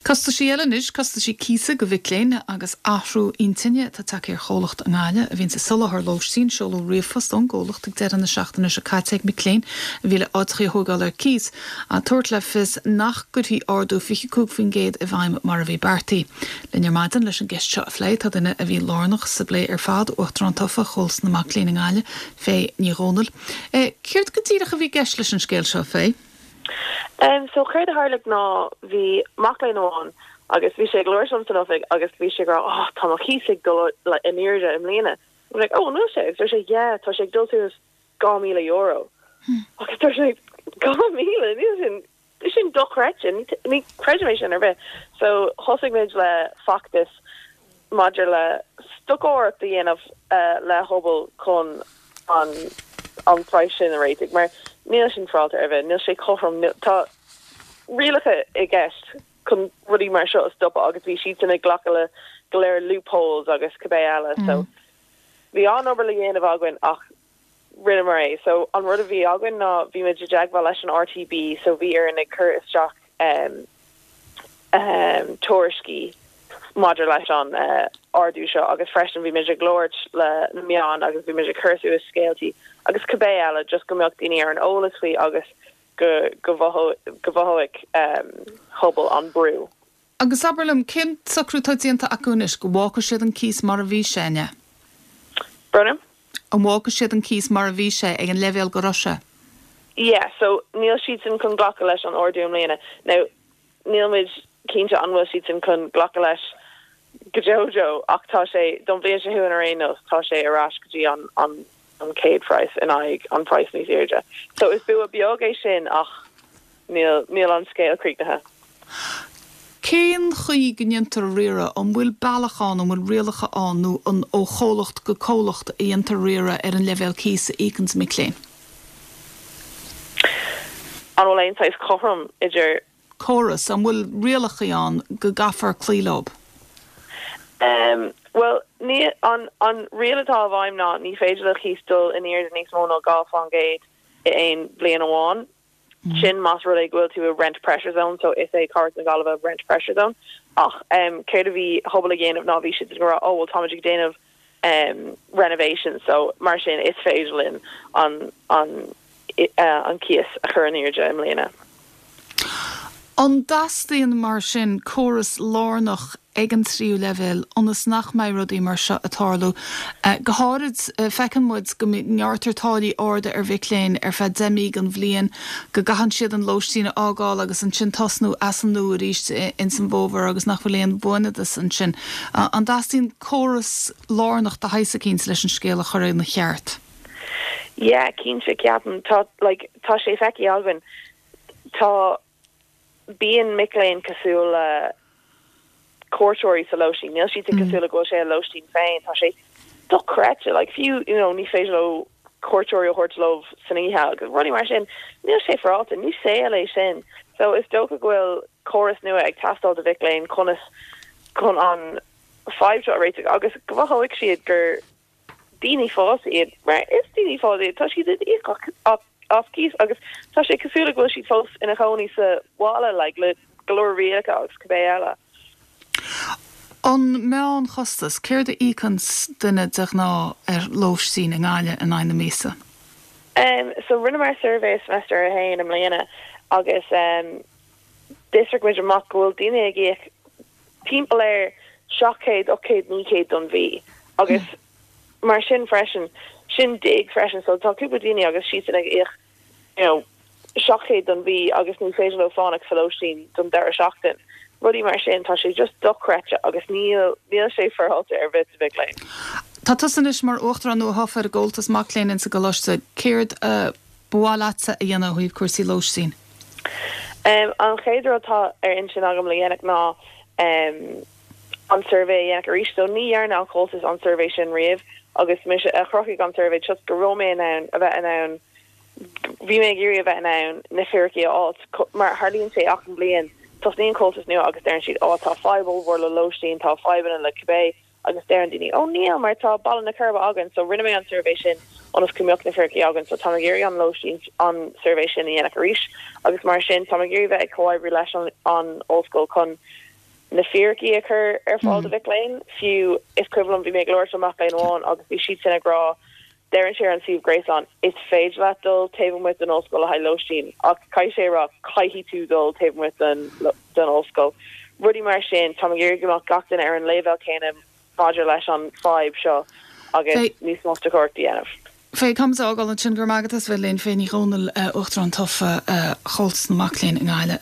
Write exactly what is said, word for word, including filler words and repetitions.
Costaisí eile anois costaisí cíosa do mhic léinn agus athrú intinne atá tagtha ar chomhlacht i nGaillimh a bhíonn ag soláthar lóistín seoladh ríomhphost ón gcomhlacht ag deireadh na seachtaine seo caite ag mic léinn a bhí le áiteacha a thógáil ar cíos, ag tabhairt le fios nach gcuirfí ardú fiche cúig faoin gcéad i bhfeidhm mar a bhí beartaithe. Linn ar maidin leis an gceist seo a phlé tá duine a bhí lárnach sa bplé ar fad Uachtarán tofa Chomhaltas na Mac Léinn i nGaillimh Faye Ní Dhomhnaill. E, Céard go díreach a bhí i gceist leis an scéal seo Faye? Um, so céard a tharla ná bhí mac léinn amháin agus bhí sé ag labhairt liom san oifig agus bhí sé ag rá oh, tá mo chíos ag dul le in airde i mbliana. I'm like, oh, níl sé agus sé yeah, tá sé ag dul suas dhá míle euro. Hmm. Agus tá sé dhá míle níl sin sin dochreidte ní chreidim é sin ar bith. So thosaigh muid le feachtas maidir le stocaireacht a dhéanamh uh, le Hubble chun an an praghas sin a réiteach mar níl sin féaráilte ar bith níl sé cothrom tá rialacha i gceist chun rudaí mar seo a stopadh agus bhí siad ag glacadh le go leor loopholes agus cibé eile mm. so bhí an-obair le dhéanamh againn ach rinneamar é so an rud a bhí againn ná bhí muid i dteagmháil leis an RTB so bhí ar ag cur isteach um, um, tuairiscí maidir leis an uh, ardú seo agus freisin bhí muid ag labhairt le na meáin agus bhí muid ag cur suas scéaltaí agus cibé eile just go mbeadh daoine ar an eolas faoi agus go go go bhfaighidh um, Hubble an brú. Agus abair liom cén socrú atá déanta acu anois go bhfágfaidh siad an cíos mar a bhí sé ne? Brunam? An bhfágfaidh siad an cíos mar a bhí sé ag an leibhéal go raibh sé? Yeah, so níl siad sin chun glacadh leis an ardú i mbliana. Now níl muid cinnte an bhfuil siad sin chun glacadh leis go deo ach tá sé don bhliain seo chugainn ar aon nós tá sé ar ais go dtí an an an chéad phraghas in aghaidh an praghas níos airde. So is bua beag é sin ach níl níl an scéal críochnaithe. Cén chaoi go ndéantar riaradh an bhfuil bealach ann an bhfuil rialacha ann nó an ó chomhlacht go comhlacht a dhéantar riaradh ar an leibhéal cíosa a íocann mic léinn. An bhfuil aon saghas cothrom idir córas an bhfuil rialacha ann go gcaithfear cloí leo. Um, well ní an an riail atá i bhfeidhm ná ní féidir le cíos dul in airde níos mó ná dhá faoin gcéad i aon bhliain amháin. Mm. Sin más rud é go bhfuil tú i rent pressure zone, so is é Cathair na Gaillimhe rent pressure zone. Ach um, céard a bhí Hubble ag déanamh ná bhí siad ag rá oh well táimid ag déanamh um, renovation, so mar sin is féidir linn an an uh, an cíos a chur in airde i mbliana. An dteastaíonn mar sin córas lárnach ag an tríú leibhéal ionas nach mbeidh rudaí mar seo ag tarlú. Uh, go háirid uh, feiceann muid go ngearrtar táillí arda ar mhic léinn ar feadh deich mí den bhliain go gcaitheann siad an lóistín a fhágáil agus ansin tosnú as an nua arís in san bhfómhar agus nach bhfuil aon bhuanadas ansin. Uh, an dteastaíonn córas lárnach de shaghas eicínt leis an scéal a chur ina cheart. Yeah, cinnte ceapaim tá like, tá sé feicthe againn tá bíonn mic léinn cosúil le cuairteoirí sa lóistín. Níl siad mm. cosúil le go bhfuil sé a lóistín féin tá sé dochreidte like fiú you know, ní féidir leo cuairteoirí a thabhairt leo san oíche agus rudaí mar sin níl sé féaráilte ní saol é sin. So is dócha go bhfuil córas nua ag teastáil do mhic léinn conas chun an fadhb seo a réiteach agus go bhfaighidh siad gur daoine fásta iad mar is daoine fásta iad tá siad ag íoc as cíos agus tá sé cosúil go bhfuil siad fós ina gcónaí sa bhaile like, le go leor rialacha agus cibé eile. An meánchostas céard a íocann duine de ghnáth ar lóistín i nGaillimh in aghaidh na míosa? Um, so rinneamar suirbhé semester a haon i mbliana agus um, d'fhiosraigh muid amach go bhfuil daoine ag íoc timpeall ar seacht gcéad ocht gcéad naoi gcéad don mhí agus mm. mar sin freisin sin dig freisin so tá cúpla daoine agus siad ag íoc you know seacht gcéad don mhí agus ní féidir leo fanacht sa lóistín don deireadh seachtain. Rudaí mar sin tá sé just dochreidte agus níl níl sé féaráilte ar bith do mhic léinn. Tá tusa anois mar uachtarán nua-thofa ar an gComhaltas Mac Léinn insa gcoláiste céard uh, ba mhaith leatsa a dhéanamh ó thaobh cúrsaí lóistín. Um, an chéad rud atá ar intinn agam le dhéanamh ná um, an suirbhé a dhéanamh arís so ní dhearna an Comhaltas an suirbhé sin riamh agus mise a chruthaigh an suirbhé just go raibh mé in ann a bheith in ann bhí mé ag iarraidh a bheith in ann na fíricí a fháil mar tarlaíonn sé achan bhliain tosnaíonn Comhaltas nua agus deireann siad ó tá fadhb mhór le lóistín tá fadhbanna le cibé agus deireann daoine ó níl mar tá Baile na Coiribe againn so rinne mé an suirbhé sin ionas go mbeadh na fíricí againn so tá ag iarraidh an lóistín an suirbhé sin a dhéanamh arís agus mar sin tá ag iarraidh bheith ag comhoibriú leis an an ollscoil chun na fíricí a chur ar fáil do mhic léinn fiú is cuimhin liom bhí mé ag labhairt le mac léinn amháin agus bhí siad sin ag rá deireann sé ar an suíomh gréasáin is féidir leat dul taobh amuigh den ollscoil le haghaidh lóistín ach caithfidh sé rá caithfidh tú dul taobh amuigh den den ollscoil. Rudaí mar sin tá ag iarraidh go mbeadh gach duine ar an leibhéal céanna maidir leis an fadhb seo agus níos mó stocaireacht a dhéanamh. Fé com ágáil sin gur magadtas bheith linn Faye Ní Dhomhnaill Uachtarán tofa Chomhaltas na Mac Léinn i nGaillimh.